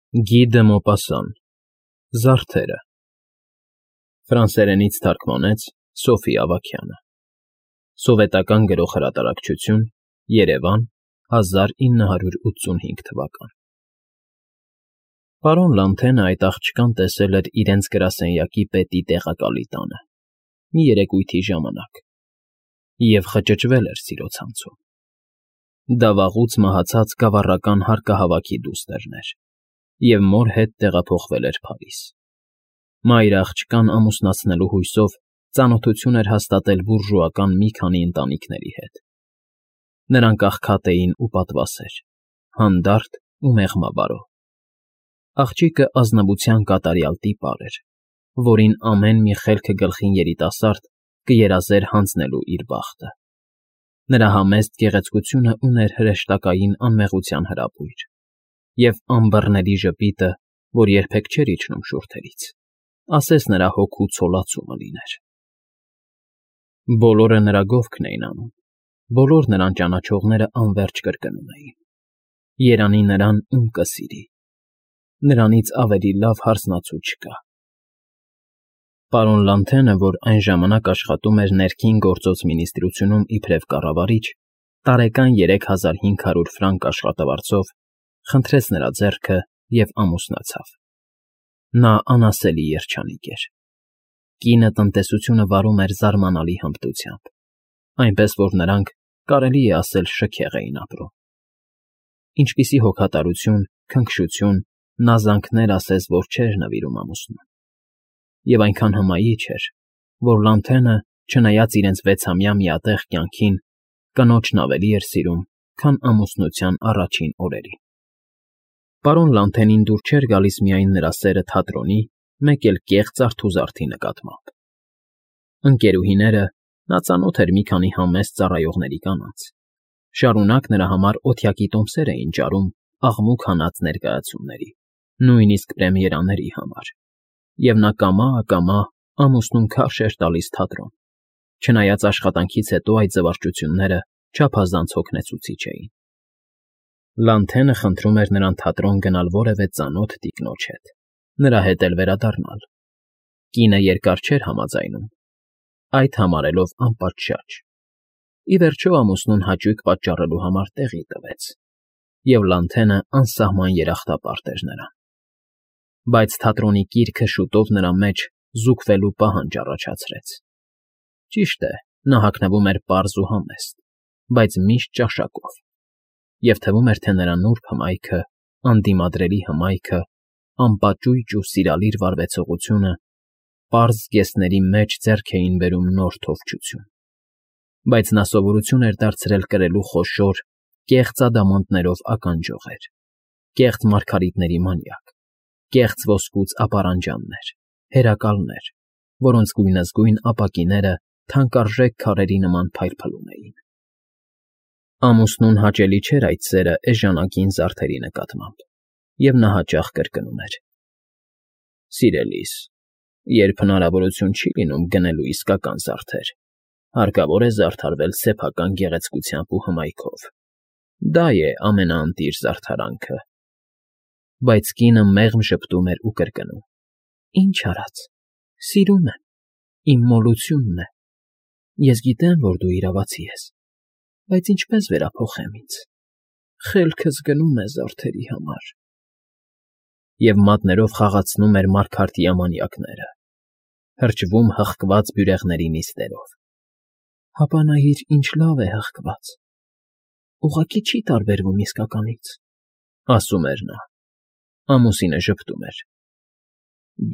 Գի դը Մոպասան Զարդերը Ֆրանսերենից թարգմանեց Սոֆի Ավագյանը Սովետական Գրող Հրատարակչություն Երևան 1985 թվական Պարոն Լանթենը այդ աղջկան տեսել էր իրենց գրասենյակի պետի տեղակալի տանը մի երեկույթի ժամանակ և խճճվել էր սիրո ցանցում դա վաղուց մահացած գավառական հարկահավաքի դուստրն էր և մոր հետ տեղափոխվել էր Փարիզ մայրը աղջկան ամուսնացնելու հույսով ծանոթություն էր հաստատել բուրժուական մի քանի ընտանիքների հետ նրանք աղքատ էին ու պատվասեր հանդարտ ու մեղմաբարո աղջիկը ազնվության կատարյալ տիպար էր որին ամեն մի խելքը գլխին երիտասարդ կերազեր հանձնելու իր բախտը նրա համեստ գեղեցկությունը ուներ հրեշտակային անմեղության հրապույր և ամբռների ժպիտը, որ երբեք չէր իջնում շուրթերից, ասես նրա հոգու ցոլացումը լիներ։ Բոլորը նրա գովքն էին անում, բոլոր նրան ճանաչողները անվերջ կրկնում էին. երանի նրան ում կսիրի, նրանից ավելի լավ հարսնացու չկա։ Պարոն Լանթենը, որ այն ժամանակ աշխատում էր ներքին գործոց մինիստրությունում իբրև կառավարիչ, տարեկան 3500 ֆրանկ աշխատավարձով խնդրեց նրա ձեռքը և ամուսնացավ։ Նա անասելի երջանիկ էր։ Կինը տնտեսությունը վարում էր զարմանալի հմտությամբ, այնպես որ նրանք, կարելի է ասել, շքեղ էին ապրում։ Ինչպիսի հոգատարություն, քնքշություն, նազանքներ ասես, որ չէր նվիրում ամուսնուն։ Եվ այնքան հմայիչ էր, որ Լանթենը, չնայած իրենց 6-ամյա միատեղ կյանքին, կնոջն ավելի էր սիրում, քան ամուսնության առաջին օրերին։ Պարոն Լանթենին դուր չէր գալիս միայն նրա սերը թատրոնի, մեկ էլ կեղծ արթուզարդի նկատմամբ։ Ընկերուհիները, նա ծանոթ էր մի քանի համեստ ծառայողների կանանց, շարունակ նրա համար օթյակի տոմսեր էին ջարում աղմուկ հանած ներկայացումների, նույնիսկ պրեմիերաների համար, և նա կամա ամուսնուն քարշ էր տալիս թատրոն, չնայած աշխատանքից հետո այդ զվարճությունները չափազանց հոգնեցուցիչ էին։ Լանթենը խնդրում էր նրան թատրոն գնալ որևէ ծանոթ տիկնոջ հետ, նրա հետ էլ վերադառնալ։ Կինը երկար չէր համաձայնում, այդ համարելով անպատշաճ։ Ի վերջո ամուսնուն հաճույք պատճառելու համար տեղի տվեց, և Լանթենը անսահման երախտապարտ էր նրան։ Բայց թատրոնի կիրքը շուտով նրա մեջ զուգվելու պահանջ առաջացրեց։ Ճիշտ է, նա հագնվում էր պարզ ու համեստ, բայց միշտ ճաշակով, և թվում էր, թե նրա նուրբ հմայքը, անդիմադրելի հմայքը, անպաճույճ ու սիրալիր վարվեցողությունը պարզ զգեստների մեջ ձեռք էին բերում նոր թովչություն։ Բայց նա սովորություն էր դարձրել կրելու խոշոր, կեղծ ադամանդներով ականջողեր, կեղծ մարգարիտների մանյակ, կեղծ ոսկուց ապարանջաններ, հերակալներ, որոնց գույնզգույն ապակիները թանկարժեք քարերի նման փայլփլում էին։ Ամուսնուն հաճելի չէր այդ սերը էժանագին զարդերի նկատմամբ, և նա հաճախ կրկնում էր. «Սիրելիս, երբ հնարավորություն չի լինում գնելու իսկական զարդեր, հարկավոր է զարդարվել սեփական գեղեցկությամբ ու հմայքով։ Դա է ամենաընտիր զարդարանքը»։ Բայց կինը մեղմ ժպտում էր ու կրկնում. «Ինչ արած, սիրում եմ, իմ մոլությունն է։ Ես գիտեմ, որ դու իրավացի ես, բայց ինչպես վերափոխեմ ինձ, խելքս գնում է զարդերի համար»։ Եվ մատներով խաղացնում էր մարգարտյա մանյակները, հրճվում հղկված բյուրեղների նիստերով։ «Հապա նայիր, ինչ լավ է հղկված, ուղղակի չի տարբերվում իսկականից», ասում էր նա։ Ամուսինը ժպտում էր.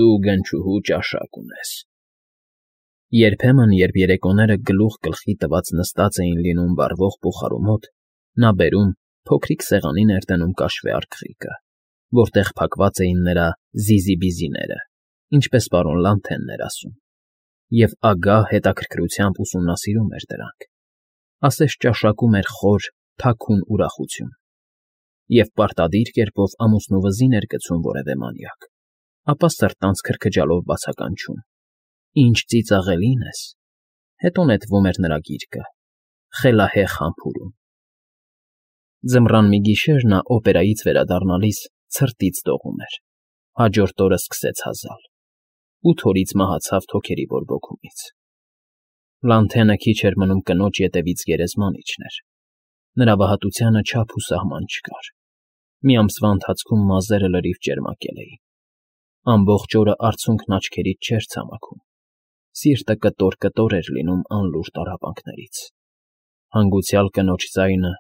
«Դու գնչուհու ճաշակ ունես»։ Երբեմն, երբ երեկոները գլուխ գլխի տված նստած էին լինում վառվող բուխարու մոտ, նա բերում, փոքրիկ սեղանի ներդնում կաշվե արկղիկը, որտեղ փակված էին նրա զիզիբիզիները, ինչպես պարոն Լանթենն էր ասում, և ագահ հետաքրքրությամբ ուսումնասիրում էր դրանք, ասես ճաշակում էր խոր, թաքուն ուրախություն, և պարտադիր կերպով ամուսնու վզին էր գցում որևէ մանյակ, ապա սրտանց քրքջալով բացականչում. «Ինչ ծիծաղելին ես», հետո նետվում էր նրա գիրկը, խելահեղ համբուրում։ Ձմռան մի գիշեր նա օպերայից վերադառնալիս ցրտից դողում էր, հաջորդ օրը սկսեց հազալ, 8 օրից մահացավ թոքերի բորբոքումից։ Լանթենը քիչ էր մնում կնոջ ետևից գերեզման իջներ, նրա վհատությանը չափ ու սահման չկար, մի ամսվա ընթացքում մազերը լրիվ ճերմակել էին, ամբողջ օրը արցունքն աչքերից չէր ցամաքում, սիրտը կտոր-կտոր էր լինում անլուր տառապանքներից, հանգուցյալ կնոջ ձայնը,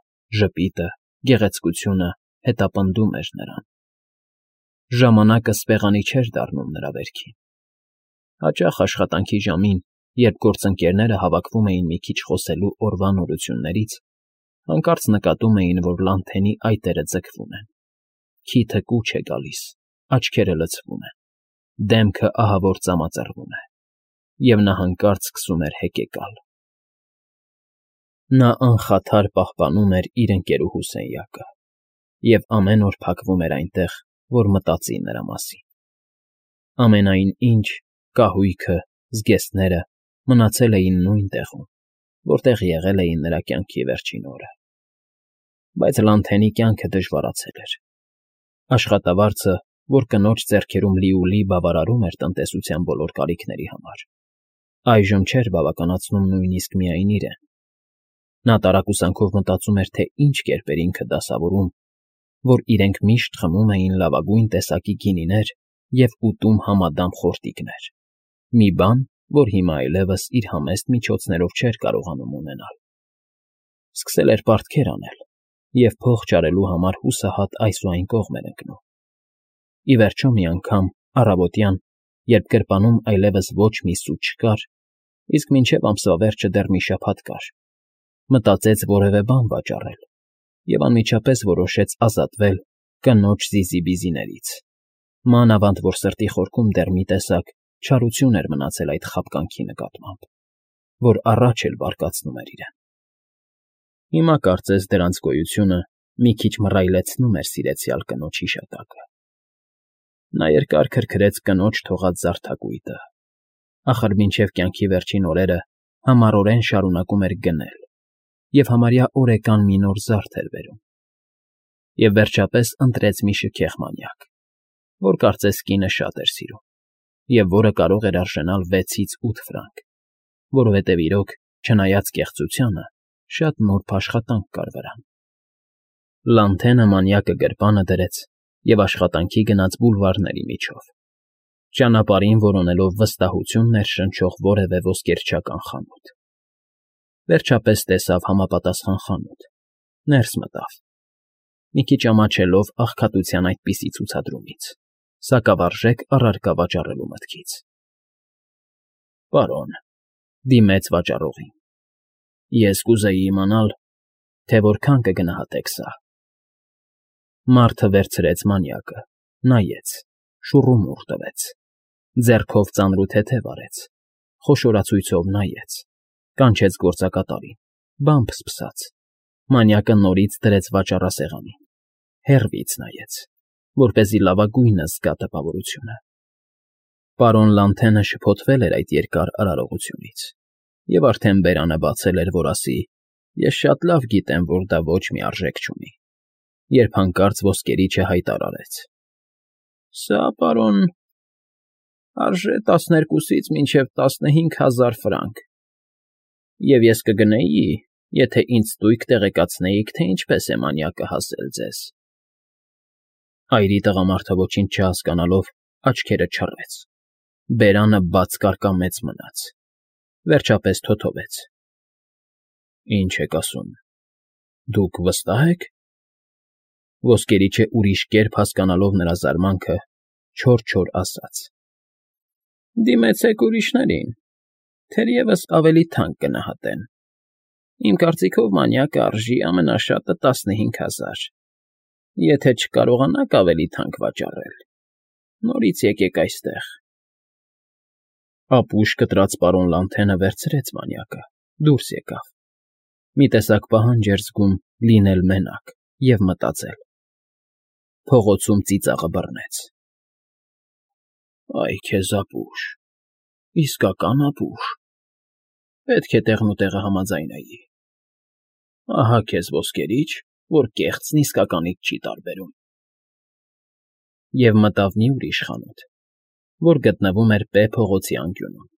ժպիտը, գեղեցկությունը հետապնդում էր նրան։ Ժամանակը սպեղանի չէր դառնում նրա վերքին։ Հաճախ աշխատանքի ժամին, երբ գործընկերները հավաքվում էին մի քիչ խոսելու օրվա նորություններից, հանկարծ նկատում էին, որ Լանթենի այտերը ձգվում են, քիթը կուչ է գալիս, աչքերը լցվում են, դեմքը ահավոր ծամածռվում է, և նա հանկարծ սկսում էր հեկեկալ։ Նա անխաթար պահպանում էր իր ընկերուհու սենյակը և ամեն օր փակվում էր այնտեղ, որ մտածի նրա մասին։ Ամենայն ինչ, կահույքը, զգեստները մնացել էին նույն տեղում, որտեղ եղել էին նրա կյանքի վերջին օրը։ Բայց Լանթենի կյանքը դժվարացել էր։ Աշխատավարձը, որ կնոջ ձեռքերում լիուլի բավարարում էր տնտեսության բոլոր կարիքների համար, այժմ չէր բավականացնում նույնիսկ միայն իրեն։ Նա տարակուսանքով մտածում էր, թե ինչ կերպ էր ինքը դասավորում, որ իրենք միշտ խմում էին լավագույն տեսակի գինիներ և ուտում համադամ խորտիկներ, մի բան, որ հիմա այլևս իր համեստ միջոցներով չէր կարողանում ունենալ։ Սկսել էր պարտքեր անել և փող չարելու համար հուսահատ այս ու այն կողմ էր ընկնում։ Ի վերջո մի անգամ, առավոտյան, երբ գրպանում այլևս ոչ մի սուտ չկար, իսկ մինչև ամսվա վերջը դեռ մի շաբաթ կար, մտածեց որևէ բան վաճառել և անմիջապես որոշեց ազատվել կնոջ զիզիբիզիներից, մանավանդ որ սրտի խորքում դեռ մի տեսակ չարություն էր մնացել այդ խաբկանքի նկատմամբ, որ առաջ էլ բարկացնում էր իրեն։ Հիմա կարծես դրանց գոյությունը մի քիչ մռայլեցնում էր սիրեցյալ կնոջ հիշատակը։ Նա երկար քրքրեց կնոջ թողած զարդակույտը, ախր մինչև կյանքի վերջին օրերը համառորեն շարունակում էր գնել և համարյա օրեկան մի նոր զարդ էր բերում։ Եվ վերջապես ընտրեց մի շքեղ մանյակ, որ կարծես կինը շատ էր սիրում, և որը կարող էր արժենալ 6-ից 8 ֆրանկ, որովհետև իրոք, չնայած կեղծությանը, շատ նուրբ աշխատանք կար վրան։ Լանթենը մանյակը գրպանը դրեց և աշխատանքի գնաց բուլվարների միջով, ճանապարհին որոնելով վստահություն ներշնչող որևէ ոսկերչական խանութ։ Վերջապես տեսավ համապատասխան խանութ, ներս մտավ, մի քիչ ամաչելով աղքատության այդպիսի ցուցադրումից, սակավարժեք առարկա վաճառելու մտքից։ Պարոն,֊ դիմեց վաճառողին,֊ ես կուզեի իմանալ, թե որքան կգնահատեք սա։ Մարդը վերցրեց մանյակը, նայեց, շուռումուռ տվեց, ձեռքով ծանրութեթև արեց, խոշորացույցով նայեց, կանչեց գործակատարին, բամբ սկսաց, մանյակը նորից դրեց վաճառասեղանին, հեռվից նայեց, որպեսզի լավագույնը զգա տպավորությունը։ Պարոն Լանթենը շփոթվել էր այդ երկար արարողությունից և արդեն բերանը բացել էր, որ ասի. «Ես շատ լավ գիտեմ, որ դա ոչ մի արժեք չունի», երբ հանկարծ ոսկերիչը հայտարարեց. «Սա, պարոն, արժե 12-ից մինչև 15,000 ֆրանկ, և ես կգնեի, եթե ինձ տույք տեղեկացնեիք, թե ինչպես է մանյակը հասել ձեզ»։ Այրի տղամարդը ոչինչ չհասկանալով աչքերը չռեց, բերանը բաց կարկամեց մնաց, վերջապես թոթովեց. «Ինչ եք ասում, դուք վստահ եք»։ Ոսկերիչը ուրիշ կերպ հասկանալով նրա զարմանքը, չոր ասաց. «Դիմեցեք ուրիշներին, թերևս ավելի թանկ կնահատեն։ Իմ կարծիքով մանյակը արժի ամենաշատը 15,000, եթե չկարողանաք ավելի թանկ վաճառել, նորից եկեք այստեղ»։ Ապուշ կտրած պարոն Լանթենը վերցրեց մանյակը, դուրս եկավ, մի տեսակ պահանջ էր զգում լինել մենակ և մտածել։ Փողոցում ծիծաղը բռնեց. «Այ քեզ ապուշ, իսկական ապուշ, պետք է տեղնուտեղը համաձայնեի։ Ահա քեզ ոսկերիչ, որ կեղծն իսկականից չի տարբերում»։ Եվ մտավ մի ուրիշ խանութ, որ գտնվում էր П փողոցի անկյունում։